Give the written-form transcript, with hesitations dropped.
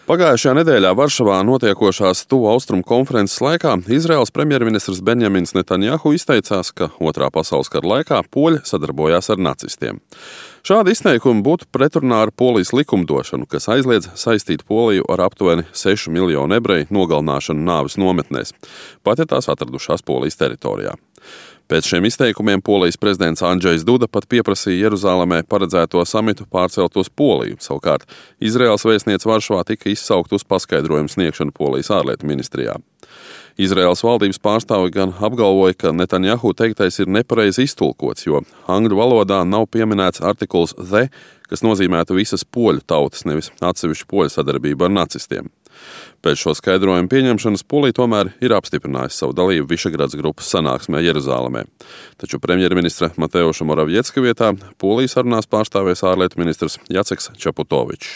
Pagājušajā nedēļā Varšavā notiekošās Tuvu Austrumu konferences laikā Izraēlas premjerministrs Benjamins Netanjahu izteicās, ka Otrā pasaules kara laikā poļi sadarbojās ar nacistiem. Šādi izteikumi būtu pretrunā ar Polijas likumdošanu, kas aizliedz saistīt Poliju ar aptuveni 6 miljonu ebreju nogalināšanu nāves nometnēs, pat ja tās atradušās Polijas teritorijā. Pēc šiem izteikumiem Polijas prezidents Andžejs Duda pat pieprasīja Jeruzālēmē paredzēto samitu pārcelt uz Poliju. Savukārt Izraēlas vēstniece Varšavā tika izsaukta uz paskaidrojumu sniegšanu Polijas ārlietu ministrijā. Izraēlas valdības pārstāvi gan apgalvoja, ka Netanjahu teiktais ir nepareizi iztulkots, jo angļu valodā nav pieminēts artikuls the, kas nozīmētu visas poļu tautas, nevis atsevišķu poļu sadarbību ar nacistiem. Pēc šo skaidrojumu pieņemšanas Polija tomēr ir apstiprinājusi savu dalību Višegradas grupas sanāksmē Jeruzālēmē. Taču premjerministra Mateuša Moravieckā vietā Polijas sarunās pārstāvēs ārlietu ministrs Jaceks Čaputovičs.